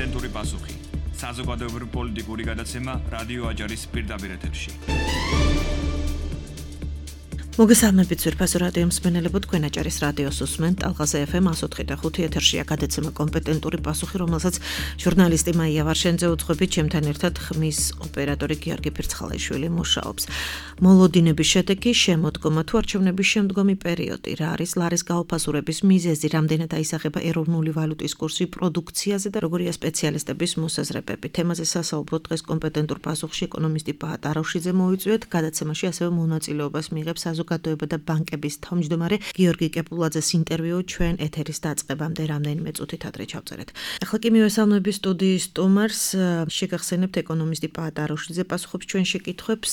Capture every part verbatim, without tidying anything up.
კომპეტენტური პასუხი. საზოგადოებრივი პოლიტიკური გადაცემა რადიო აჯარის პირდაპირ ეთერში. მოგესალმებით ძვირფასო რადიო მსმენელებო, თქვენ აჭარის რადიოს უსმენთ ტალღაზე ეფ ემ one oh three point five ეთერშია გადაცემა კომპეტენტური პასუხი, რომელსაც ჟურნალისტი მაია ვარშენძე უძღვებით, ჩემთან ერთად ხმის ოპერატორი გიორგი ფირცხალაიშვილი მუშაობს. მოლოდინების შედეგი, შემოდგომა თუ არჩევნების შემდგომი პერიოდი, რა არის ლარის გაუფასურების მიზეზი, რამდენად აისახება ეროვნული ვალუტის კურსი პროდუქციაზე და როგორია სპეციალისტების მოსაზრებები. თემაზე სასაუბროთ დღეს კომპეტენტურ პასუხში ეკონომისტი პაატ აროშიძე მოვიწვიეთ, გადაცემაში ასევე მონაწილეობას მიიღებს საზოგადოება და ბანკების თავმჯდომარე გიორგი კეპულაძეს ინტერვიუ ჩვენ ეთერის დაწყებამდე რამდენიმე წუთით ადრე ჩავწერეთ. ახლა კი მივესალმები სტუდიის სტუმარს, შეგახსენებთ ეკონომისტი პაატ აროშიძე პასუხობს ჩვენ შეკითხვებს.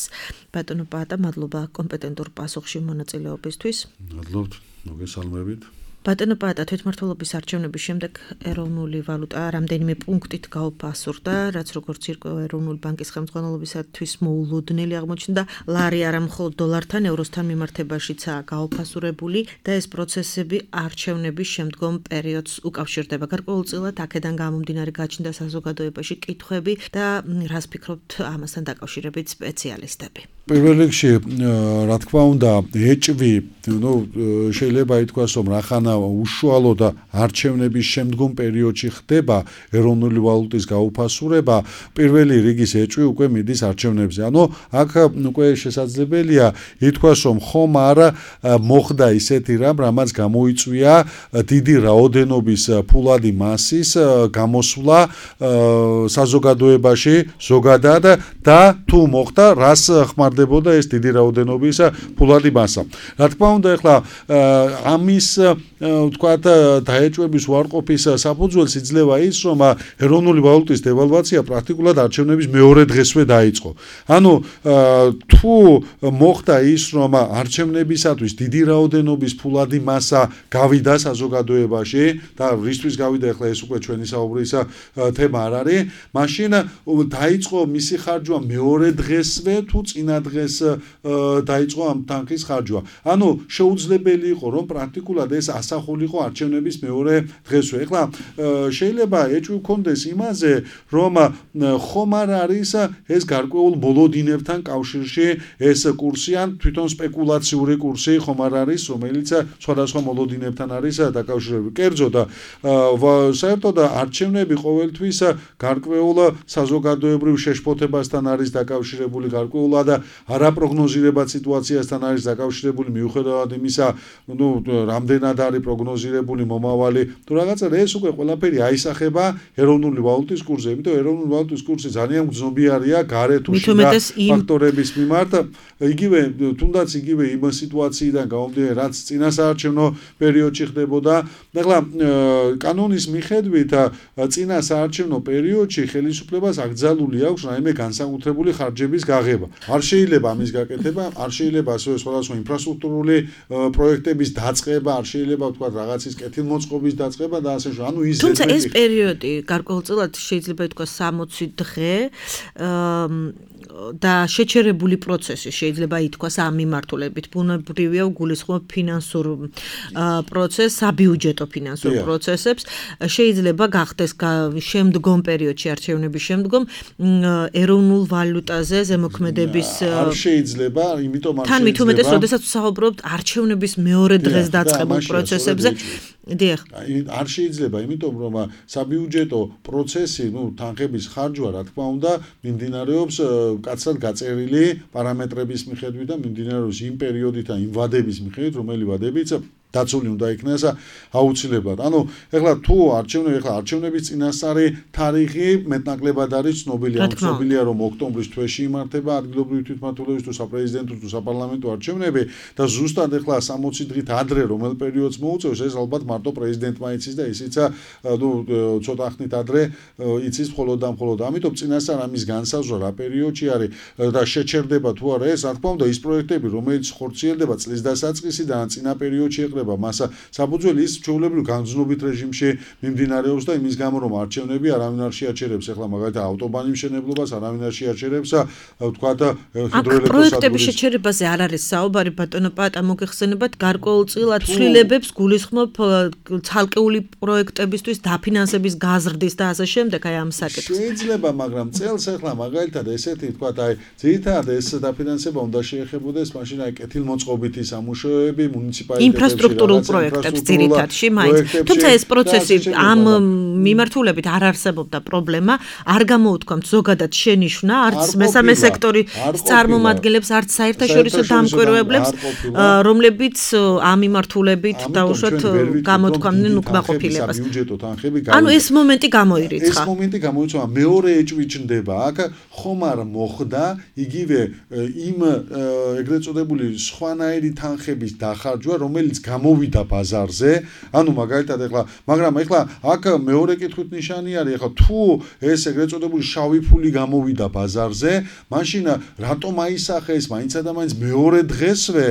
ბატონო პაატა, მადლობა კომპეტენტურ პასუხში მონაწილეობისთვის. მადლობთ, მოგესალმებით. ბატონო პაატა, თვითმმართველობის არჩევნების შემდეგ ეროვნული ვალუტა რამდენიმე პუნქტით გაუფასურდა, რაც როგორც ირკვევა ეროვნული ბანკის ხელმძღვანელობისათვის მოულოდნელი აღმოჩნდა. ლარი არა მხოლოდ დოლართან, ევროსთან მიმართებაშიცაა გაუფასურებული და ეს პროცესები არჩევნების შემდგომ პერიოდს უკავშირდება. გარკვეულწილად აქედან გამომდინარე გაჩნდა საზოგადოებაში კითხვები და რას ფიქრობთ ამასთან დაკავშირებით სპეციალისტები? პირველ რიგში, რა თქმა უნდა, ეჭვი, ნუ შეიძლება ითქვას, რომ რახანა უშუალოდ არჩევნების შემდგომ პერიოდში ხდება ეროვნული ვალუტის გაუფასურება, პირველი რიგის ეჭვი უკვე მიდის არჩევნებზე. ანუ აქ უკვე შესაძლებელია ითქვას, რომ ხომ არა მოხდა ისეთი რამ, რამაც გამოიწვია დიდი რაოდენობის ფულადი მასის გამოსვლა საზოგადოებაში ზოგადად და თუ მოხდა, რას ხმარდებოდა ეს დიდი რაოდენობის ფულადი მასა. რა თქმა უნდა, ახლა ამის ვთქვათ, დაეჭვების უარყოფის საფუძველს იძლევა ის, რომ ეროვნული ვალუტის დევალვაცია პრაქტიკულად არჩევნების მეორე დღესვე დაიწყო. ანუ თუ მოხდა ის, რომ არჩევნებისათვის დიდი რაოდენობის ფულადი მასა გავიდა საზოგადოებაში და რისთვის გავიდა, ახლა ეს უკვე ჩვენი საუბრის თემა არ არის, მაშინ დაიწყო მისი ხარჯვა მეორე დღესვე თუ წინა დღეს დაიწყო ამ თანხის ხარჯვა. ანუ შეუძლებელი იყო, რომ პრაქტიკულად ეს ასახულიყო არჩევნების მეორე დღესვე. ეხლა შეიძლება ეჭვი გქონდეს იმაზე, რომ ხომ არ არის ეს გარკვეულ მოლოდინებთან კავშირში ეს კურსი ან თვითონ სპეკულაციური კურსი ხომ არ არის, რომელიც სხვადასხვა მოლოდინებთან არის დაკავშირებული. კერძოდ, საერთოდ არჩევნები ყოველთვის გარკვეულ საზოგადოებრივ შეშფოთებასთან არის დაკავშირებული, გარკვეულად არაპროგნოზირებად სიტუაციასთან არის დაკავშირებული, მიუხედავად იმისა, ნუ რამდენად არის პროგნოზირებული მომავალი თუ რაღაცა, ეს უკვე ყველაფერი აისახება ეროვნული ვალუტის კურსზე. იმიტომ ეროვნული ვალუტის კურსი ძალიან გრძნობიარეა გარე თუ შიდა ფაქტორების მიმართ, იგივე თუნდაც იგივე იმ სიტუაციიდან გამომდინარე, რაც წინასაარჩევნო პერიოდში ხდებოდა. ახლა კანონის მიხედვით წინასაარჩევნო პერიოდში ხელისუფლებას აკრძალული აქვს რაიმე განსაკუთრებული ხარჯების გაღება. არ შეიძლება ამის გაკეთება, არ შეიძლება ასევე სხვადასხვა ინფრასტრუქტურული პროექტების დაწყება, არ შეიძლება თქვა რაღაცის კეთილმოწყობის დაწყება და ასე შემდეგ. ანუ ის თუმცა ეს პერიოდი გარკვეულწილად შეიძლება ითქვას სამოცი დღე და შეჩერებული პროცესი შეიძლება ითქვას ამ მიმართულებით. ბუნებრივია გულისხმობ ფინანსურ პროცესს, საბიუჯეტო ფინანსურ პროცესებს. შეიძლება გახდეს შემდგომ პერიოდში არჩევნების შემდგომ ეროვნულ ვალუტაზე ზემოქმედების არ შეიძლება, იმიტომ არ შეიძლება. თან მით უმეტეს, როდესაც ვსაუბრობთ არჩევნების მეორე დღეს დაწყებულ პროცესებზე. დიახ. არ შეიძლება, იმიტომ რომ საბიუჯეტო პროცესი, ნუ თანხების ხარჯვა, რა თქმა უნდა, მიმდინარეობს კაცად გაწერილი პარამეტრების მიხედვით და მიმდინარეობს იმ პერიოდით და იმ ვადების მიხედვით, რომელი ვადებიც დაცული უნდა იქნას აუცილებლად. ანუ ეხლა თუ არჩევნები, ეხლა არჩევნების წინასწარი თარიღი მეტნაკლებად არის ცნობილი. ანუ ცნობილია, რომ ოქტომბრის თვეში იმართება ადგილობრივი თვითმმართველობის თუ საპრეზიდენტო თუ საპარლამენტო არჩევნები და ზუსტად ეხლა სამოცი დღით ადრე რომელ პერიოდს მოუწევს, ეს ალბათ მარტო პრეზიდენტმა იცის და ისიც ნუ ცოტა ხნით ადრე იცის მხოლოდ და მხოლოდ. ამიტომ წინასწარ ამის განსაზღვრა რა პერიოდში არის და შეჩერდება თუ არა ეს, რა თქმა უნდა, ის პროექტები, რომელიც ხორციელდება წლის დასაწყისიდან წინა პერიოდში აკეთება მას საფუძველი ის ჩვეულებრივ განზნობით რეჟიმში მიმდინარეობს და იმის გამო რომ არჩევნები არავინ არ შეაჩერებს ახლა მაგალითად ავტობანის მშენებლობას არავინ არ შეაჩერებს ვთქვათ ჰიდროელექტროსადგურის პროექტების შეჩერებაზე არ არის საუბარი ბატონო პატა მოგეხსენებათ გარკვეულწილად ცვლილებებს გულისხმობ ცალკეული პროექტებისთვის დაფინანსების გაზრდის და ასე შემდეგ აი ამ საკითხს შეიძლება მაგრამ წელს ახლა მაგალითად ესეთი ვთქვათ აი ძირითადად ეს დაფინანსება უნდა შეეხებოდეს მაშინ აი კეთილმოწყობითი სამუშაოები მუნიციპალიტეტებში ინფრასტრუქტურულ პროექტებს ძირითადში მაინც თუმცა ეს პროცესი ამ მიმართულებით არ არსებობდა პრობლემა არ გამოუთქვამთ ზოგადად შენიშვნა არც მესამე სექტორის წარმომადგენლებს არც საერთაშორისო დამკვირვებლებს რომლებიც ამ მიმართულებით დაუშვათ გამოთქვამდნენ უკმაყოფილებას ანუ ეს მომენტი გამოირიცხა ეს მომენტი გამოირიცხა მეორე ეჭვი ჩნდება აქ ხომ არ მოხდა იგივე იმ ეგრეთ წოდებული სხვანაირი თანხების დახარჯვა რომელიც გამოვიდა ბაზარზე ანუ მაგალითად ეხლა მაგრამ ეხლა აქ მეორე კითხვით ნიშანი არის ეხლა თუ ეს ეგრეთ წოდებული შავი ფული გამოვიდა ბაზარზე მაშინ რატომ აისახეს მაინცა და მაინც მეორე დღესვე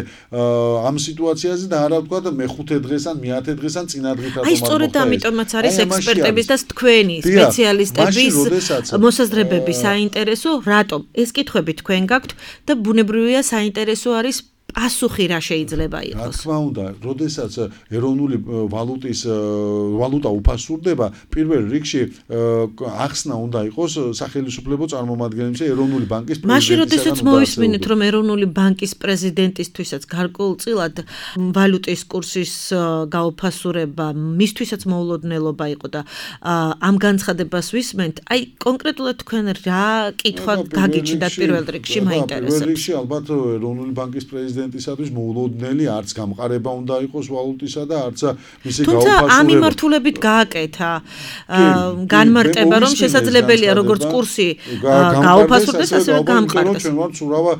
ამ სიტუაციაზე და არა ვთქვათ მეხუთე დღეს ან მეათე დღეს ან წინა დღით რატომ აი სწორედ ამიტომაც არის ექსპერტების და თქვენი სპეციალისტების მოსაზრებები საინტერესო რატომ ეს კითხვები თქვენ გაქვთ და ბუნებრივია საინტერესო არის პასუხი რა შეიძლება იყოს. რა თქმა უნდა, როდესაც ეროვნული ვალუტის ვალუტა უფასურდება, პირველ რიგში ახსნა უნდა იყოს სახელმწიფო წარმომადგენლებს ეროვნული ბანკის პრეზიდენტის. მაშინ როდესაც მოვისმინეთ, რომ ეროვნული ბანკის პრეზიდენტისთვისაც გარკვეულწილად ვალუტის კურსის გაუფასურება მისთვისაც მოულოდნელობა იყო და ამ განცხადებას ვისმენთ, აი კონკრეტულად თქვენ რა კითხვა გაგიჩნდათ პირველ რიგში მაინტერესებს. პირველ რიგში ალბათ ეროვნული ბანკის პრეზიდენტი პრეზიდენტისათვის მოულოდნელი არც გამყარება უნდა იყოს ვალუტისა და არც მისი გაუფასურება. თუმცა ამ მიმართულებით გააკეთა განმარტება რომ შესაძლებელია როგორც კურსი გაუფასურდეს ასევე გამყარდეს. ჩვენ ვართ ურავა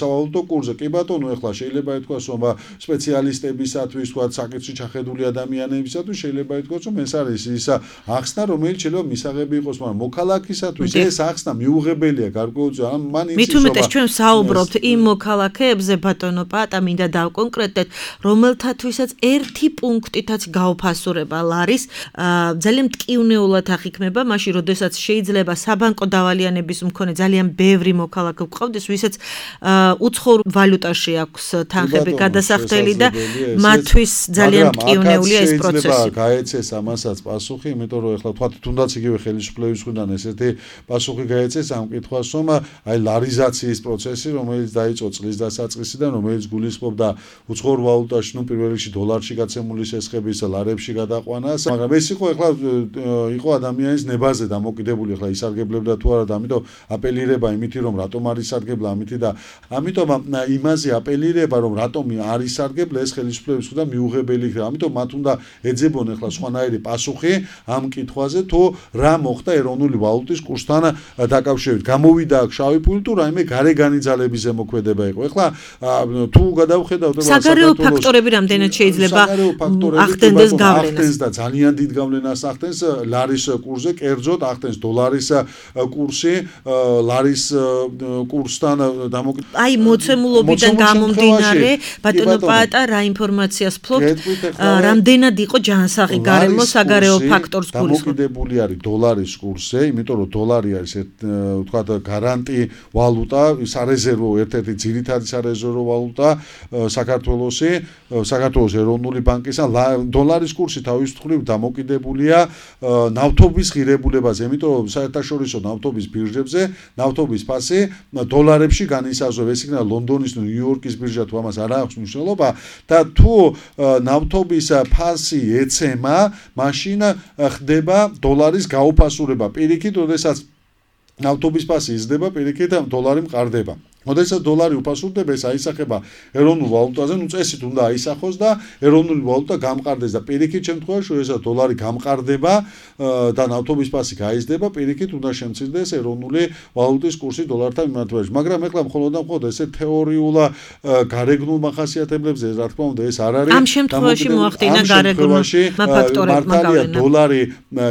სავალუტო კურსზე. კი ბატონო, ეხლა შეიძლება ითქვას რომ სპეციალისტებისათვის, თქვა საკითხში ჩახედული ადამიანებისათვის შეიძლება ითქვას რომ ეს არის ის ახსნა რომელიც შეიძლება მისაღები იყოს, მაგრამ მოქალაქისათვის ეს ახსნა მიუღებელია გარკვეულწილად. მან იცის რომ მით უმეტეს ჩვენ საუბრობთ იმ მოქალაქეებზე ბატონო პატა მინდა დავკონკრეტეთ რომელთათვისაც ერთი პუნქტითაც გაუფასურება ლარის ძალიან მტკივნეულად აღიქმება მაშინ როდესაც შეიძლება საბანკო დავალიანების მქონე ძალიან ბევრი მოქალაქე გყავდეს ვისაც უცხოურ ვალუტაში აქვს თანხები გადასახდელი და მათთვის ძალიან მტკივნეულია ეს პროცესი. გაეცეს ამასაც პასუხი, იმიტომ რომ ეხლა თქვა თუნდაც იგივე ხელისუფლების მხრიდან ესეთი პასუხი გაეცეს ამ კითხვას რომ აი ლარიზაციის პროცესი რომელიც დაიწყო წლის დასაწყისიდან რომელიც გულისხმობდა უცხოურ ვალუტაში, ნუ პირველ რიგში დოლარში გაცემული სესხების ლარებში გადაყვანას, მაგრამ ეს იყო ეხლა იყო ადამიანის ნებაზე დამოკიდებული, ეხლა ისარგებლებდა თუ არა და ამიტომ აპელირება იმითი რომ რატომ არ ისარგებლა ამითი და ამიტომ იმაზე აპელირება რომ რატომ არ ისარგებლა ეს ხელისუფლების მხრიდან მიუღებელი იქნება. ამიტომ მათ უნდა ეძებონ ეხლა სხვანაირი პასუხი ამ კითხვაზე თუ რა მოხდა ეროვნული ვალუტის კურსთან დაკავშირებით. გამოვიდა აქ შავი ფული თუ რაიმე გარეგანი ძალების ზემოქმედება იყო. ეხლა თუ გადავხედავთ საგარეო ფაქტორები რამდენად შეიძლება ახდენდეს გავლენას და ძალიან დიდ გავლენას ახდენს ლარის კურსზე, კერძოდ ახდენს დოლარის კურსი, ლარის კურსთან დამოკიდებული. აი მოცემულობიდან გამომდინარე, ბატონო პატა, რა ინფორმაციას ფლობთ, რამდენად იყო ჯანსაღი გარემო საგარეო ფაქტორს გულისხმობ. დამოკიდებული არის დოლარის კურსზე, იმიტომ რომ დოლარი არის ვთქვათ გარანტი ვალუტა, სარეზერვო ერთ-ერთი ძირითადი სარეზერვო ვალუტა საქართველოსი, საქართველოს ეროვნული ბანკისა დოლარის კურსი თავის მხრივ დამოკიდებულია ნავთობის ღირებულებაზე, იმიტომ რომ საერთაშორისო ნავთობის ბირჟებზე ნავთობის ფასი დოლარებში განისაზღვრება, ეს იქნება ლონდონის თუ ნიუ-იორკის ბირჟა თუ ამას არ აქვს მნიშვნელობა და თუ ნავთობის ფასი ეცემა, მაშინ ხდება დოლარის გაუფასურება. პირიქით, როდესაც ნავთობის ფასი იზრდება, პირიქით დოლარი მყარდება. როდესაც დოლარი უფასურდება, ეს აისახება ეროვნულ ვალუტაზე, ნუ წესით უნდა აისახოს და ეროვნული ვალუტა გამყარდეს და პირიქით შემთხვევაში, როდესაც დოლარი გამყარდება და ნავთობის ფასი გაიზრდება, პირიქით უნდა შემცირდეს ეროვნული ვალუტის კურსი დოლართან მიმართებაში. მაგრამ ეხლა მხოლოდ და მხოლოდ ესე თეორიულ გარეგნულ მახასიათებლებზე, რა თქმა უნდა, ეს არ არის. ამ შემთხვევაში მოახდინა გარეგნულმა ფაქტორებმა გავლენა. დოლარი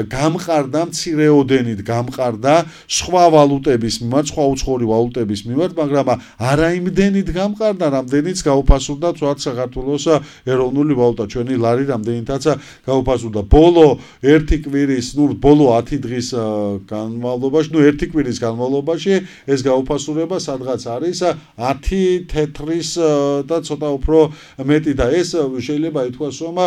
გამყარდა მცირეოდენით, გამყარდა სხვა ვალუტების მიმართ, სხვა უცხოური ვალუტების მიმართ, მაგრამ მაგრამ არა იმდენით გამყარდა, რამდენიც გაუფასურდა თქვათ საქართველოს ეროვნული ვალუტა, ჩვენი ლარი რამდენითაც გაუფასურდა. ბოლო ერთი კვირის, ნუ ბოლო ათი დღის განმავლობაში, ნუ ერთი კვირის განმავლობაში ეს გაუფასურება სადღაც არის ათი თეთრის და ცოტა უფრო მეტი და ეს შეიძლება ითქვას, რომ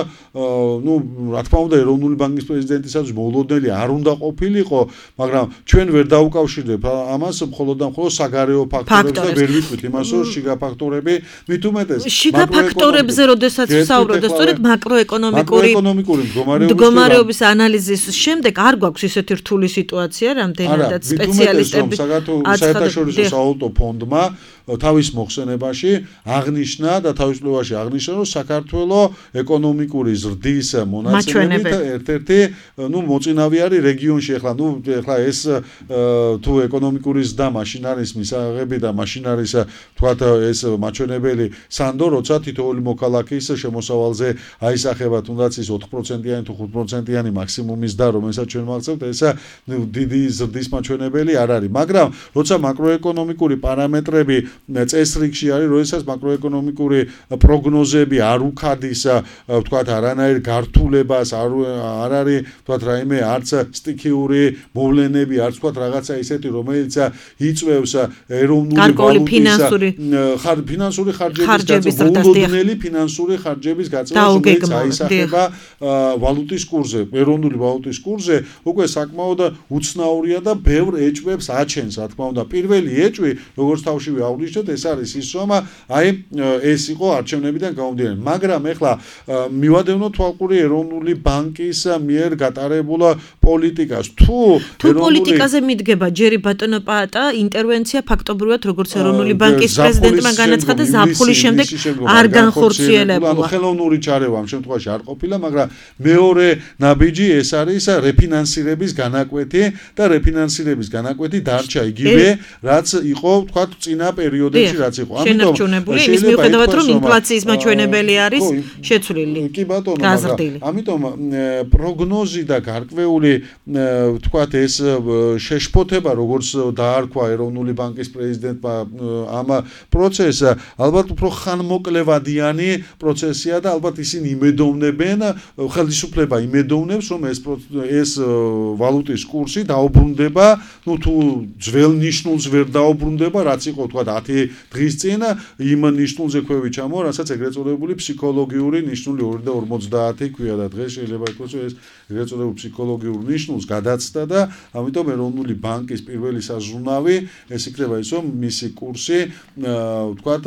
ნუ რა თქმა უნდა ეროვნული ბანკის პრეზიდენტისაც მოულოდნელი არ უნდა ყოფილიყო, მაგრამ ჩვენ ვერ დაუკავშირებ ამას მხოლოდ და მხოლოდ საგარეო ფაქტორებს და ვერ ვიტყვით იმას, რომ შიგა ფაქტორები მით უმეტეს შიგა ფაქტორებზე როდესაც ვსაუბრობთ, სწორედ მაკროეკონომიკური მაკროეკონომიკური მდგომარეობის ანალიზის შემდეგ არ გვაქვს ისეთი რთული სიტუაცია, რამდენადაც სპეციალისტები საერთაშორისო სავალუტო ფონდმა თავის მოხსენებაში აღნიშნა და თავისუფლებაში აღნიშნა, რომ საქართველოს ეკონომიკური ზრდის მონაცემებით ერთ-ერთი ნუ მოწინავე არის რეგიონში. ახლა ნუ ახლა ეს თუ ეკონომიკური ზრდა მაშინ არის მისაღები და მაშინ არის თქვათ ეს მაჩვენებელი სანდო, როცა თითოეული მოქალაქის შემოსავალზე აისახება თუნდაც ის ოთხ პროცენტიანი თუ ხუთ პროცენტიანი მაქსიმუმი ზრდა, რომელსაც ჩვენ მაღწევთ, ეს დიდი ზრდის მაჩვენებელი არ არის. მაგრამ როცა მაკროეკონომიკური პარამეტრები წესრიგში არის, როდესაც მაკროეკონომიკური პროგნოზები არ უქადის, თქვათ არანაირ გართულებას, არ არ არის, თქვათ რაიმე არც სტიქიური მოვლენები, არც თქვათ რაღაცა ისეთი, რომელიც იწვევს ეროვნული ვალუტის ფინანსური ხარჯების მოულოდნელი ფინანსური ხარჯების გაწევას, რომელიც აისახება ვალუტის კურსზე, ეროვნული ვალუტის კურსზე, უკვე საკმაოდ უცნაურია და ბევრ ეჭვებს აჩენს, რა თქმა უნდა. პირველი ეჭვი, როგორც თავშივე აღვნიშნეთ, ეს არის ის, რომ აი ეს იყო არჩევნებიდან გამომდინარე. მაგრამ ეხლა მივადევნოთ თვალყური ეროვნული ბანკის მიერ გატარებულ პოლიტიკას. თუ თუ პოლიტიკაზე მიდგება ჯერი ბატონო პაატა, ინტერვენცია ფაქტობრივად როგორც ეროვნული ბანკის პრეზიდენტმა განაცხადა, ზაფხულის შემდეგ არ განხორციელებულა. ანუ ხელოვნური ჩარევა ამ შემთხვევაში არ ყოფილა, მაგრამ მეორე ნაბიჯი ეს არის რეფინანსირების განაკვეთი და რეფინანსირების განაკვეთი დარჩა იგივე, რაც იყო თქვათ წინა პერიოდებში, რაც იყო. ამიტომ იმის მიუხედავად, რომ ინფლაციის მაჩვენებელი არის შეცვლილი. კი ბატონო, მაგრამ ამიტომ პროგნოზი და გარკვეული თქვათ ეს შეშფოთება, როგორც დაარქვა ეროვნული ბანკის პრეზიდენტმა ამ პროცესს, ალბათ უფრო ხანმოკლევადიანი პროცესია და ალბათ ისინი იმედოვნებენ, ხელისუფლება იმედოვნებს, რომ ეს ეს ვალუტის კურსი დაუბრუნდება, ну თუ ძველ ნიშნულს ვერ დაუბრუნდება, რაც იყო თქვათ ათი დღის წინ, იმ ნიშნულზე ქვევი ჩამო, რასაც ეგრეთ წოდებული ფსიქოლოგიური ნიშნული ორი და ორმოცდაათი ქვია და დღეს შეიძლება ითქვას, რომ ეს ეგრეთ წოდებულ ფსიქოლოგიურ ნიშნულს გადაცდა და ამიტომ ეროვნული ბანკის პირველი საზრუნავი ეს იქნება ის, რომ მისი კურსი თქვათ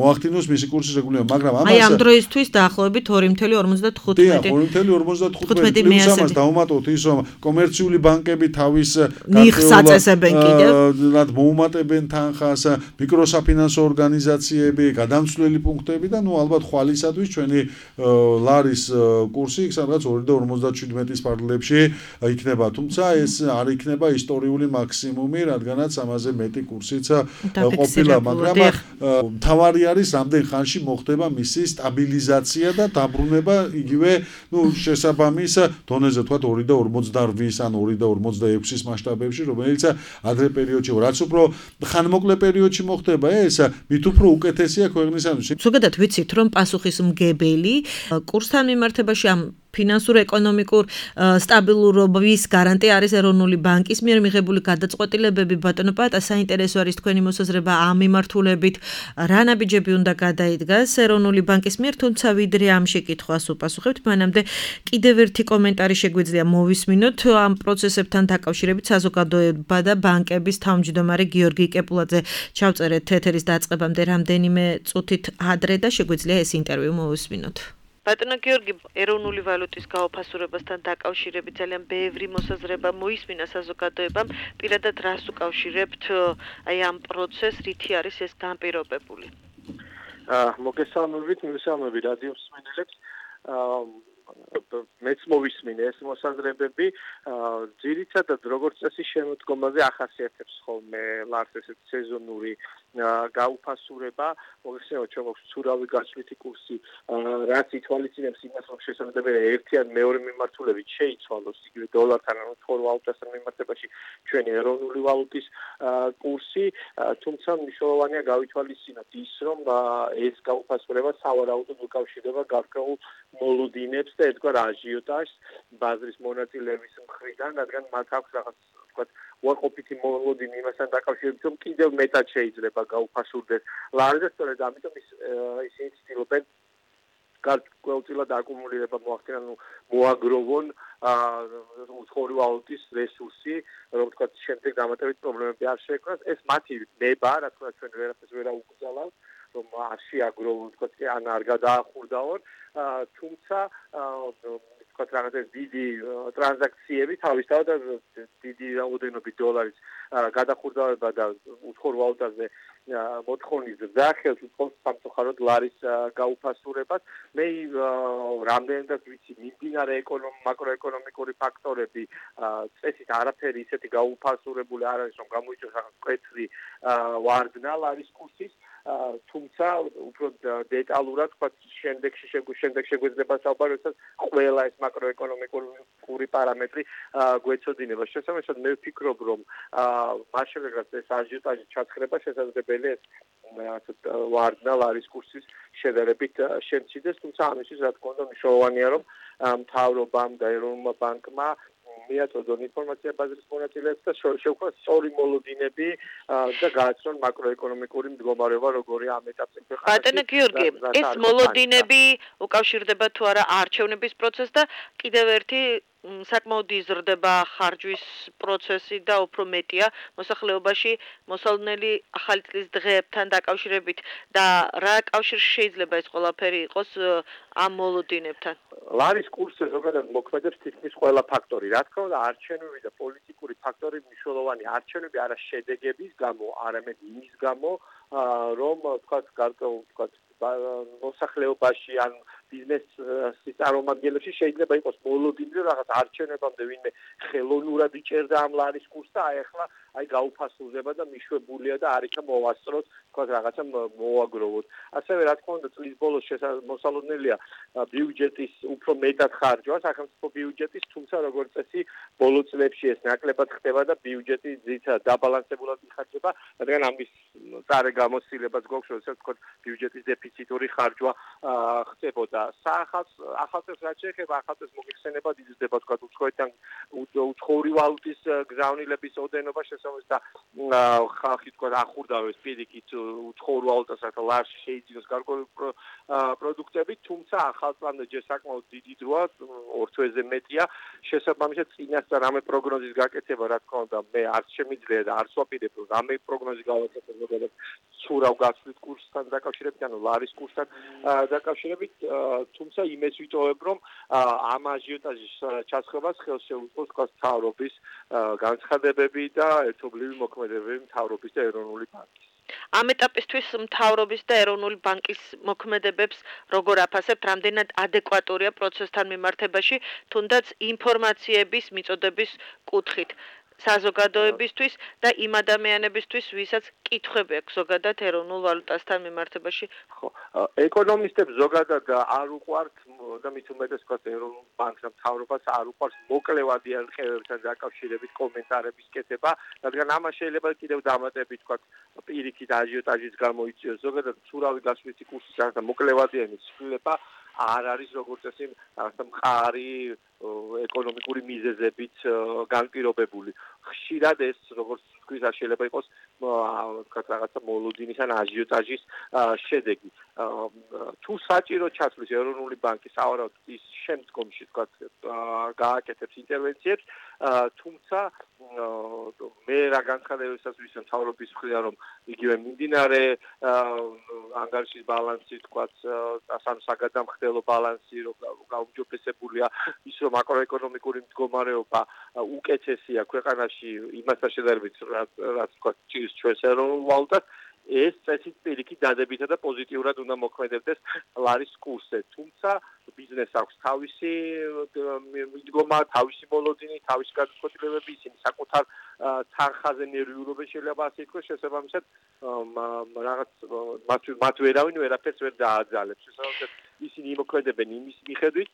მოახდინოს მისი კურსის რეგულირება, მაგრამ ამას აი ამ დროისთვის დაახლოებით ორი ორმოცდათხუთმეტი ორი ორმოცდათხუთმეტი პლუს ამას დავუმატოთ ის, რომ კომერციული ბანკები თავის ნიხს აწესებენ კიდევ, რაც მოუმატებენ თანხას, მიკროსაფინანსო ორგანიზაციები, გადამცვლელი პუნქტები და ნუ ალბათ ხვალისადვის ჩვენი ლარის კურსი სადღაც ორი და ორმოცდაჩვიდმეტის ფარგლებში იქნება, თუმცა ეს არ იქნება ისტორიული მაქსიმუმი, რადგანაც ამაზე მეტი კურსიც ყოფილა, მაგრამ მთავარი არის რამდენ ხანში მოხდება მისი სტაბილიზაცია და დაბრუნება იგივე, ნუ შესაბამის დონეზე, თქვათ ორი და ორმოცდაორი ან ორი და ორმოცდაექვსის მასშტაბებში, რომელიც ადრე პერიოდში, რაც უფრო ხანმოკლე პერიოდში მოხდება ეს, მით უფრო უკეთესია ქვეყნისათვის. ზოგადად ვიცით, რომ პასუხისმგებელი კურსთან მიმართებაში ამ ფინანსურ-ეკონომიკურ სტაბილურობის გარანტია არის ეროვნული ბანკის მიერ მიღებული გადაწყვეტილებები. ბატონო პაატა, საინტერესო არის თქვენი მოსაზრება ამ მიმართულებით, რა ნაბიჯები უნდა გადაიდგას ეროვნული ბანკის მიერ, თუმცა ვიდრე ამ შეკითხვას უპასუხებთ, მანამდე კიდევ ერთი კომენტარი შეგვიძლია მოვისმინოთ ამ პროცესებთან დაკავშირებით. საზოგადოება და ბანკების თავმჯდომარე გიორგი კეპულაძე ჩავწერეთ ეთერის დაწყებამდე რამდენიმე წუთით ადრე და შეგვიძლია ეს ინტერვიუ მოვისმინოთ. ბატონო გიორგი, ეროვნული ვალუტის გაოფასურებასთან დაკავშირებით ძალიან ბევრი მოსაზრება მოისმინა საზოგადოებამ. პირადად რას უკავშირებთ აი ამ პროცესს, რითი არის ეს განპირობებული? აა მოგესალმებით, მოგესალმებით რადიო მსმენელებს. აა მეც მოვისმინე ეს მოსაზრებები, ძირითადად როგორც წესი შემოდგომაზე ახასიათებს ხოლმე ლარს ესეთი სეზონური გაუფასურება, მოგხსენებათ ჩვენ გვაქვს ცურავი გაცვლითი კურსი, რაც ითვალისწინებს იმას, რომ შესაძლებელია ერთი ან მეორე მიმართულებით შეიცვალოს იგივე დოლართან ან უცხოურ ვალუტასთან მიმართებაში ჩვენი ეროვნული ვალუტის კურსი, თუმცა მნიშვნელოვანია გავითვალისწინოთ ის, რომ ეს გაუფასურება სავარაუდოდ უკავშირდება გარკვეულ მოლოდინებს და ერთგვარ აჟიოტაჟს ბაზრის მონაწილეების მხრიდან, რადგან მათ აქვს რაღაც თქვათ უარყოფითი მოლოდინი იმასთან დაკავშირებით, რომ კიდევ მეტად შეიძლება გაუფასურდეს ლარი და სწორედ ამიტომ ის ისინი ცდილობენ გარკვეულწილად აკუმულირება მოახდინონ, მოაგროვონ უცხოური ვალუტის რესურსი, რომ თქვათ შემდეგ დამატებით პრობლემები არ შეექმნას. ეს მათი ნება, რა თქმა უნდა ჩვენ ვერაფერს ვერ აუკრძალავთ, რომ არ შეაგროვონ, თქვათ ან არ გადაახურდაონ, თუმცა თქვათ რაღაც დიდი ტრანზაქციები თავისთავად დიდი რაოდენობით დოლარის გადახურდავება და უცხოურ ვალუტაზე მოთხოვნის ზრდა ხელს უწყობს სამწუხაროდ ლარის გაუფასურებას. მე რამდენადაც ვიცი, მიმდინარე მაკროეკონომიკური ფაქტორები წესით არაფერი ისეთი გაუფასურებული არ არის, რომ გამოიწვევს რაღაც მკვეთრი ვარდნა ლარის კურსის, თუმცა უფრო დეტალურად თქვათ შემდეგში შემდეგ შეგვეძლება საუბარი, როდესაც ყველა ეს მაკროეკონომიკური პარამეტრი გვეცოდინება. შესაბამისად მე ვფიქრობ, რომ მას შემდეგ რაც ეს აჟიოტაჟი ჩაცხრება, შესაძლებელია ეს ვარდნა ლარის კურსის შედარებით შემცირდეს, თუმცა ამისთვის რა თქმა უნდა მნიშვნელოვანია, რომ მთავრობამ და ეროვნულმა ბანკმა მიაწოდონ ინფორმაცია ბაზრის მონაწილეებს და შევქმნას სწორი მოლოდინები და გააცნონ მაკროეკონომიკური მდგომარეობა როგორია ამ ეტაპზე ქვეყანაში. ბატონო გიორგი, ეს მოლოდინები უკავშირდება თუ არა არჩევნების პროცესს და კიდევ ერთი საკმაოდ იზრდება ხარჯვის პროცესი და უფრო მეტია მოსახლეობაში მოსალოდნელი ახალი წლის დღეებთან დაკავშირებით და რა კავშირი შეიძლება ეს ყველაფერი იყოს ამ მოლოდინებთან? ლარის კურსზე ზოგადად მოქმედებს თითქმის ყველა ფაქტორი. რა თქმა უნდა, არჩევნები და პოლიტიკური ფაქტორი მნიშვნელოვანი. არჩევნები არა შედეგების გამო, არამედ იმის გამო, რომ თქვათ გარკვეულ თქვათ მოსახლეობაში ან ბიზნესის წარმომადგენლებში შეიძლება იყოს მოლოდინი, რომ რაღაც არჩევნებამდე ვინმე ხელოვნურად იჭერდა ამ ლარის კურსს და აი ახლა აი გაუფასურდება და მიშვებულია და არ იქა მოვასწროთ, თქვათ რაღაცა მოაგროვოთ. ასევე რა თქმა უნდა წლის ბოლოს მოსალოდნელია ბიუჯეტის უფრო მეტად ხარჯვა, სახელმწიფო ბიუჯეტის, თუმცა როგორც წესი ბოლო წლებში ეს ნაკლებად ხდება და ბიუჯეტი ძირითადად დაბალანსებულად იხარჯება, რადგან ამის წარე გამოცდილებაც გვაქვს, როდესაც თქვათ ბიუჯეტის დეფიციტური ხარჯვა ხდებოდა. ახალწელს რაც შეეხება ახალწელს მოგიხსენებათ იზრდება თქვათ უცხოეთთან უცხოური ვალუტის გზავნილების ოდენობა შესაძლოა და ხალხი თქვათ ახურდავებს პირიქით უცხოურ ვალუტას რათა ლარში შეიძინოს გარკვეული პროდუქტები, თუმცა ახალწლამდე ჯერ საკმაოდ დიდი დროა, ორ თვეზე მეტია, შესაბამისად წინასწარ რამე პროგნოზის გაკეთება, რა თქმა უნდა, მე არც შემიძლია და არც ვაპირებ, რომ რამე პროგნოზი გავაკეთებ ზოგადად ცურავ გაცვლით კურსთან დაკავშირებით, ანუ ლარის კურსთან დაკავშირებით, თუმცა იმეც ვიტოვებ, რომ ამ აჟიოტაჟის ჩასხებას ხელს შეუწყობს თქვათ მთავრობის განცხადებები და ერთობლივი მოქმედებები მთავრობის და ეროვნული ბანკის. ამ ეტაპისთვის მთავრობის და ეროვნული ბანკის მოქმედებებს როგორ აფასებთ, რამდენად ადეკვატურია პროცესთან მიმართებაში, თუნდაც ინფორმაციების მიწოდების კუთხით? საზოგადოებისთვის და იმ ადამიანებისთვის, ვისაც კითხვები აქვს ზოგადად ეროვნულ ვალუტასთან მიმართებაში. ხო, ეკონომისტებს ზოგადად არ უყვართ და მით უმეტეს თქვათ ეროვნულ ბანკს და მთავრობას არ უყვარს მოკლევადი არხევებთან დაკავშირებით კომენტარების კეთება, რადგან ამას შეიძლება კიდევ დამატებით თქვათ პირიქით აჟიოტაჟის გამოიწვიოს ზოგადად ცურავი გაცვლითი კურსის რაღაცა მოკლევადიანი ცვლილება არ არის როგორც წესი რაღაცა მყარი ეკონომიკური მიზეზებით განპირობებული. ხშირად ეს როგორც თქვით არ შეიძლება იყოს თქვათ რაღაცა მოლოდინის ან აჟიოტაჟის შედეგი. თუ საჭირო ჩასვლის ეროვნული ბანკი სავარაუდოდ ის შემდგომში თქვათ გააკეთებს ინტერვენციებს, თუმცა მე რა განცხადებებსაც ვისმენ მთავრობის მხრიდან, რომ იგივე მიმდინარე ანგარიშის ბალანსი თქვათ საგადამხდელო ბალანსი რომ გაუმჯობესებულია, ის რომ მაკროეკონომიკური მდგომარეობა უკეთესია ქვეყანაში იმასთან შედარებით, რაც თქვათ ჭირს ჩვენს ეროვნულ ვალუტას, ეს წესით პირიქით დადებითა და პოზიტიურად უნდა მოქმედებდეს ლარის კურსზე. თუმცა ბიზნესს აქვს თავისი მიდგომა, თავისი მოლოდინი, თავისი გადაწყვეტილებები, ისინი საკუთარ თანხაზე ნერვიულობენ, შეიძლება ასე ითქვას, შესაბამისად რაღაც მათ ვერავინ ვერაფერს ვერ დააძალებს. შესაბამისად ისინი იმოქმედებენ იმის მიხედვით,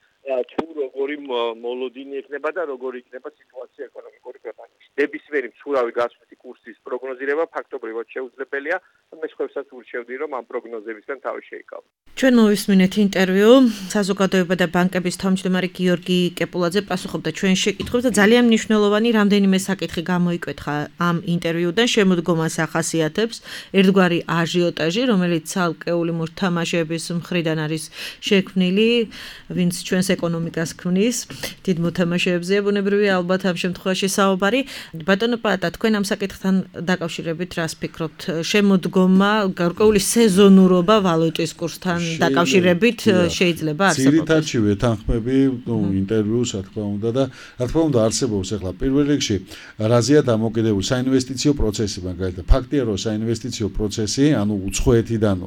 თუ როგორი მოლოდინი ექნება და როგორი იქნება სიტუაცია ეკონომიკური ქვეყანაში. ნებისმიერი მცურავი გასვლითი კურსის პროგნოზირება ფაქტობრივად შეუძლებელია. მე სხვებსაც ურჩევდი, რომ ამ პროგნოზებისგან თავი შეიკავო. ჩვენ მოვისმინეთ ინტერვიუ საზოგადოება და ბანკების თავმჯდომარე გიორგი კეპულაძე პასუხობდა ჩვენ შეკითხვებს და ძალიან მნიშვნელოვანი რამდენიმე საკითხი გამოიკვეთხა ამ ინტერვიუდან. შემოდგომას ახასიათებს ერთგვარი აჟიოტაჟი, რომელიც ცალკეული მოთამაშეების მხრიდან არის შექმნილი, ვინც ჩვენს ეკონომიკას ქმნის. დიდ მოთამაშეებზეა ბუნებრივია ალბათ ამ შემთხვევაში საუბარი. ბატონო პაატა, თქვენ ამ საკითხთან დაკავშირებით რას ფიქრობთ? შემოდგომა, გარკვეული სეზონურობა ვალუტის კურსთან დაკავშირებით შეიძლება არსებობდეს? ძირითადში ვეთანხმები, ნუ ინტერვიუს რა თქმა უნდა და რა თქმა უნდა არსებობს ახლა პირველ რიგში რაზეა დამოკიდებული საინვესტიციო პროცესი, მაგალითად ფაქტია რომ საინვესტიციო პროცესი, ანუ უცხოეთიდან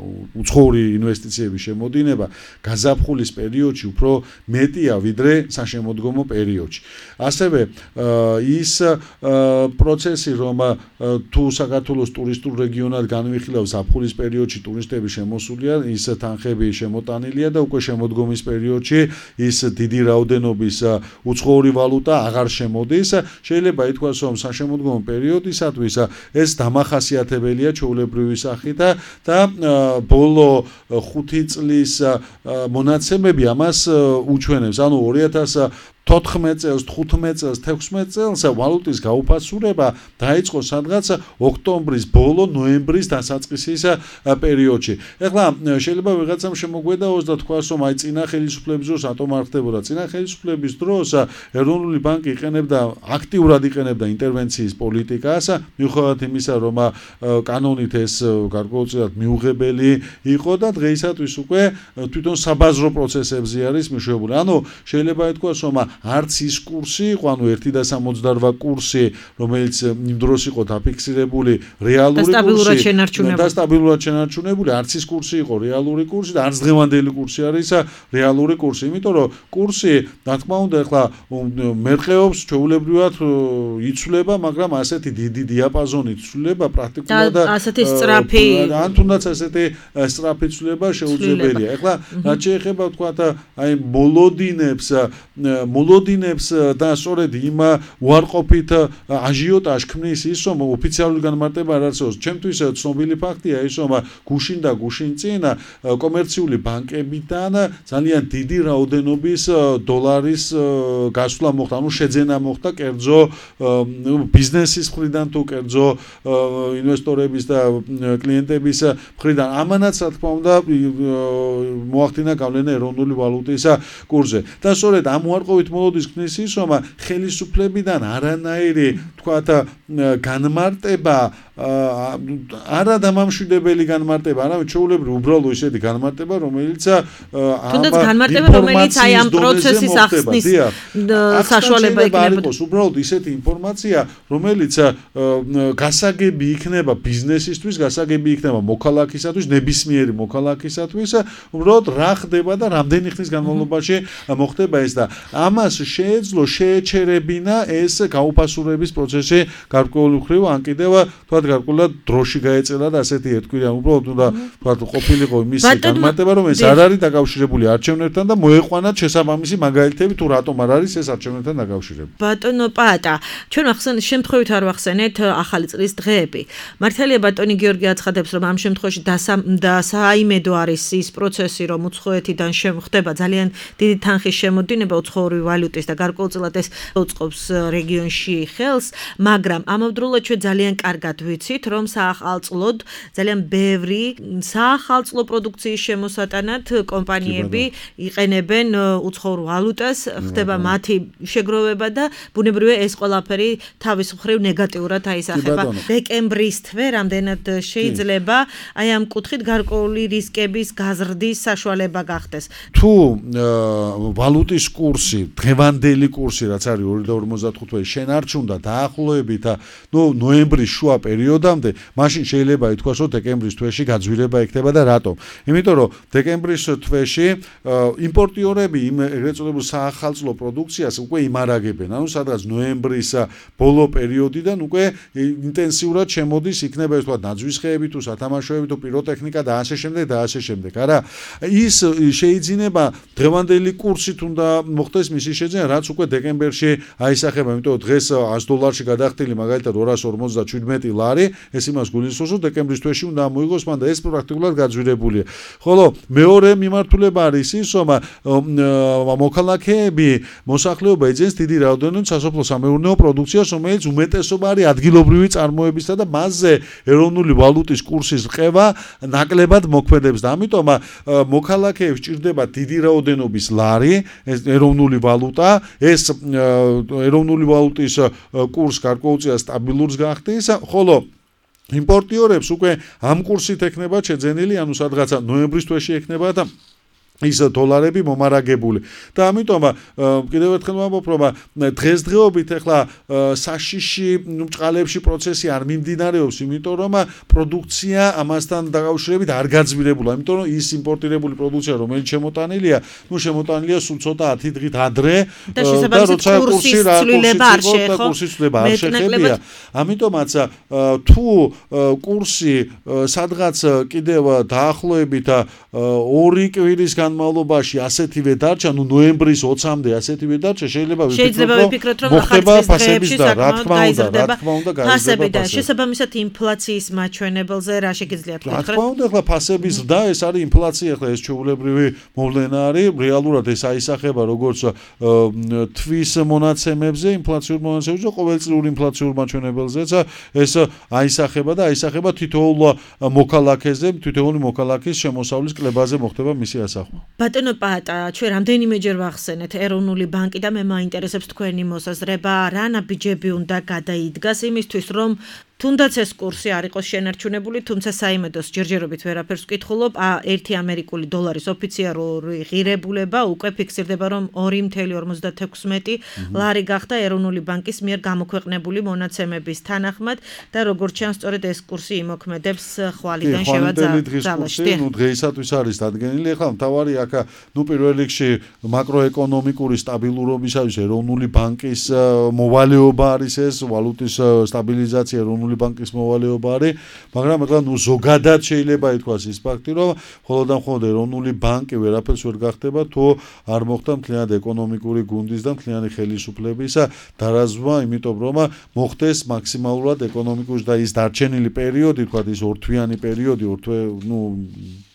უცხოური ინვესტიციების შემოდინება გაზაფხულის პერიოდში უფრო მეტია ვიდრე საშემოდგომო პერიოდში. ასევე ის პროცესი რომ თუ საქართველოს ტურისტულ რეგიონად განვიხილავს ზაფხულის პერიოდში ტურისტების შემოსულია, ის თანხები შემოტანილია და უკვე შემოდგომის პერიოდში ის დიდი რაოდენობის უცხოური ვალუტა აღარ შემოდის. შეიძლება ითქვას, რომ საშემოდგომო პერიოდისათვის ეს დამახასიათებელია ჩვეულებრივი სახით და ბოლო ხუთი წლის მონაცემები ამას უჩვენებს. ანუ ორი ათას თოთხმეტ წელს, თხუთმეტ წელს, თექვსმეტ წელს ვალუტის გაუფასურება დაიწყო სადღაც ოქტომბრის ბოლო, ნოემბრის დასაწყისის პერიოდში. ეხლა შეიძლება ვიღაცამ შემოგვედაოს და თქვას, რომ აი წინა ხელისუფლების დროს რატომ არ ხდებოდა? წინა ხელისუფლების დროს ეროვნული ბანკი იყენებდა აქტიურად იყენებდა ინტერვენციის პოლიტიკას, მიუხედავად იმისა, რომ კანონით ეს გარკვეულწილად მიუღებელი იყო და დღეისათვის უკვე თვითონ საბაზრო პროცესებზე არის მიშვებული. ანუ შეიძლება ითქვას, რომ არც ის კურსი იყო, ანუ ერთი და სამოცდაორვა კურსი, რომელიც იმ დროს იყო დაფიქსირებული რეალური კურსი და სტაბილურად შენარჩუნებული, არც ის კურსი იყო რეალური კურსი და არც დღევანდელი კურსი არის რეალური კურსი. იმიტომ რომ კურსი, რა თქმა უნდა, ახლა მერყეობს ჩვეულებრივად იცვლება, მაგრამ ასეთი დიდი დიაპაზონი იცვლება პრაქტიკულად და ასეთი სწრაფი ან თუნდაც ასეთი სწრაფი ცვლილება შეუძლებელია. ეხლა რაც შეეხება თქვათ აი მოლოდინებს მოლოდინებს და სწორედ იმ უარყოფით აჟიოტაჟ ქმნის ის, რომ ოფიციალური განმარტება არ არსებობს. ჩემთვის ცნობილი ფაქტია ის, რომ გუშინ და გუშინ წინ კომერციული ბანკებიდან ძალიან დიდი რაოდენობის დოლარის გასვლა მოხდა, ანუ შეძენა მოხდა კერძო ბიზნესის მხრიდან თუ კერძო ინვესტორების და კლიენტების მხრიდან. ამანაც რა თქმა უნდა მოახდინა გავლენა ეროვნული ვალუტის კურსზე. და სწორედ ამ უარყოფით მოლოდის ქმნის ის, რომ ხელისუფლებიდან არანაირი თქვათ განმარტება არა დამამშვიდებელი განმარტება, არამედ ჩვეულებრივ უბრალო ისეთი განმარტება, რომელიც თუნდაც განმარტება, რომელიც აი ამ პროცესის ახსნის საშუალება იქნებოდა. უბრალოდ ისეთი ინფორმაცია, რომელიც გასაგები იქნება ბიზნესისთვის, გასაგები იქნება მოქალაქისათვის, ნებისმიერი მოქალაქისათვის, უბრალოდ რა ხდება და რამდენი ხნის განმავლობაში მოხდება ეს და ამას შეეძლო შეეჩერებინა ეს გაუფასურების პროცესი გარკვეული ხრივ ან კიდევ თქვათ გარკვეულად დროში გაეწელა და ასეთი ერთკვირიანი უბრალოდ უნდა თქვათ ყოფილიყო იმის განმარტება, რომ ეს არ არის დაკავშირებული არჩევნებთან და მოეყვანათ შესაბამისი მაგალითები თუ რატომ არ არის ეს არჩევნებთან დაკავშირებული. ბატონო პაატა, ჩვენ ახსენეთ შემთხვევით არ ვახსენეთ ახალი წლის დღეები. მართალია ბატონი გიორგი აცხადებს, რომ ამ შემთხვევაში დასაიმედო არის ის პროცესი, რომ უცხოეთიდან ხდება ძალიან დიდი თანხის შემოდინება უცხოური ვალუტის და გარკვეულწილად ეს უწყობს რეგიონში ხელს, მაგრამ ამავდროულად ჩვენ ძალიან კარგად ვიცით, რომ საახალწლოდ ძალიან ბევრი საახალწლო პროდუქციის შემოსატანად კომპანიები იყენებენ უცხოურ ვალუტას, ხდება მათი შეგროვება და ბუნებრივია ეს ყველაფერი თავის მხრივ ნეგატიურად აისახება. დეკემბრის თვე რამდენად შეიძლება აი ამ კუთხით გარკვეული რისკების გაზრდის საშუალება გახდეს. თუ ვალუტის კურსი დღევანდელი კურსი რაც არის ორი და ორმოცდახუთი შენ არ ჩუნდა დაახლოებით ნუ ნოემბრის შუა პერიოდამდე მაშინ შეიძლება ითქვას რომ დეკემბრის თვეში გაძვირება იქნება და რატომ? იმიტომ რომ დეკემბრის თვეში იმპორტიორები იმ ეგრეთ წოდებულ საახალწლო პროდუქციას უკვე იმარაგებენ. ანუ სადღაც ნოემბრის ბოლო პერიოდიდან უკვე ინტენსიურად შემოდის იქნება ეს თქვა ნაძვისხეები თუ სათამაშოები თუ პიროტექნიკა და ასე შემდეგ და ასე შემდეგ. არა ის შეიძლება დღევანდელი კურსით უნდა მოხდეს მისი შეძენა რაც უკვე დეკემბერში აისახება, იმიტომ რომ დღეს ას დოლარში გადახდილი მაგალითად ორას ორმოცდაჩვიდმეტი ლარი, ეს იმას გულისხმობს რომ დეკემბრის თვეში უნდა მოიგოს მან და ეს პრაქტიკულად გაძვირებულია. ხოლო მეორე მიმართულება არის ის რომ მოქალაქეები მოსახლეობა ეძენს დიდი რაოდენობით სასოფლო სამეურნეო პროდუქციას, რომელიც უმეტესობა არის ადგილობრივი წარმოებისა და მასზე ეროვნული ვალუტის კურსის რყევა ნაკლებად მოქმედებს და ამიტომ მოქალაქეებს ჭირდება დიდი რაოდენობის ლარი, ეს ეროვნული ვალუტა, ეს ეროვნული ვალუტის კურს გარკვეულწილად სტაბილურს გახდის, ხოლო იმპორტიორებს უკვე ამ კურსით ექნება შეძენილი, ანუ სადღაცა ნოემბრის თვეში ექნება და ის დოლარები მომარაგებული და ამიტომ კიდევ ერთხელ ვამბობ რომ დღესდღეობით ახლა საშიში მჭყალებში პროცესი არ მიმდინარეობს, იმიტომ რომ პროდუქცია ამასთან დაკავშირებით არ გაძვირებულა, იმიტომ რომ ის იმპორტირებული პროდუქცია რომელიც შემოტანილია, ნუ შემოტანილია სულ ცოტა ათი დღით ადრე და როცა კურსი რა კურსის ცვლილება არ შეხებია. ამიტომაც თუ კურსი სადღაც კიდევ დაახლოებით ორი კვირის განმავლობაში ასეთივე დარჩა, ნუ ნოემბრის ოცამდე ასეთივე დარჩა, შეიძლება ვიფიქროთ რომ მოხდება ფასების და რა თქმა უნდა, რა თქმა უნდა გაიზრდება და შესაბამისად ინფლაციის მაჩვენებელზე რა შეგიძლიათ გითხრათ? რა თქმა უნდა, ახლა ფასების ზრდა ეს არის ინფლაცია, ახლა ეს ჩვეულებრივი მოვლენა არის, რეალურად ეს აისახება როგორც თვის მონაცემებზე, ინფლაციურ მონაცემებზე, ყოველწლიურ ინფლაციურ მაჩვენებელზეც ეს აისახება და აისახება თითოეულ მოქალაქეზე, თითოეული მოქალაქის შემოსავლის კლებაზე მოხდება მისი ასახვა. ბატონო პატა, ჩვენ რამდენიმეჯერ ვახსენეთ ეროვნული ბანკი და მე მაინტერესებს თქვენი მოსაზრება, რა ნაბიჯები უნდა გადაიდგას იმისთვის, რომ თუნდაც ეს კურსი არ იყოს შენარჩუნებული, თუმცა საიმედოს ჯერჯერობით ვერაფერს ვკითხულობ, ერთი ამერიკული დოლარის ოფიციალური ღირებულება უკვე ფიქსირდება, რომ ორი ათეული ორმოცდათექვსმეტი ლარი გახდა ეროვნული ბანკის მიერ გამოქვეყნებული მონაცემების თანახმად და როგორც ჩანს, სწორედ ეს კურსი იმოქმედებს ხვალიდან შევაძალაში. ნუ დღეისათვის არის დადგენილი, ახლა მთავარი აქ ნუ პირველ რიგში მაკროეკონომიკური სტაბილურობისათვის ეროვნული ბანკის მოვალეობა არის ეს, ვალუტის სტაბილიზაცია ეროვნული ბანკის მოვალეობა არის, მაგრამ ახლა ნუ ზოგადად შეიძლება ითქვას ის ფაქტი, რომ მხოლოდ და მხოლოდ ეროვნული ბანკი ვერაფერს ვერ გახდება, თუ არ მოხდა მთლიანად ეკონომიკური გუნდის და მთლიანი ხელისუფლების დარაზვა, იმიტომ რომ მოხდეს მაქსიმალურად ეკონომიკური და ის დარჩენილი პერიოდი, თქვა ის ორთვიანი პერიოდი, ორთვე, ნუ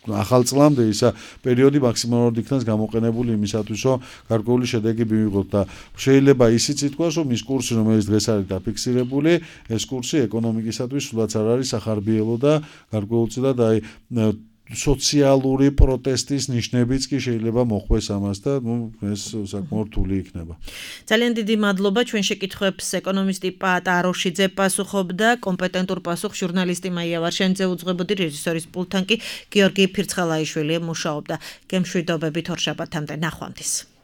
ახალ წლამდე ის პერიოდი მაქსიმალურად იქნას გამოყენებული იმისათვის, რომ გარკვეული შედეგი მივიღოთ და შეიძლება ისიც ითქვას, რომ ის კურსი, რომელიც დღეს არის დაფიქსირებული, ეს კურსი ეკონომიკისათვის სულაც არ არის სახარბიელო და გარკვეულწილად აი სოციალური პროტესტის ნიშნებიც კი შეიძლება მოხვდეს ამას და ნუ ეს საკმაოდ რთული იქნება. ძალიან დიდი მადლობა ჩვენ შეკითხვებს ეკონომისტი პატა აროშიძე პასუხობდა, კომპეტენტურ პასუხს ჟურნალისტი მაია ვარშენიძე უძღვებოდი, რეჟისორის პულტთან კი გიორგი ფირცხალაიშვილი მუშაობდა. გემშვიდობებით ორ შაბათამდე, ნახვამდის.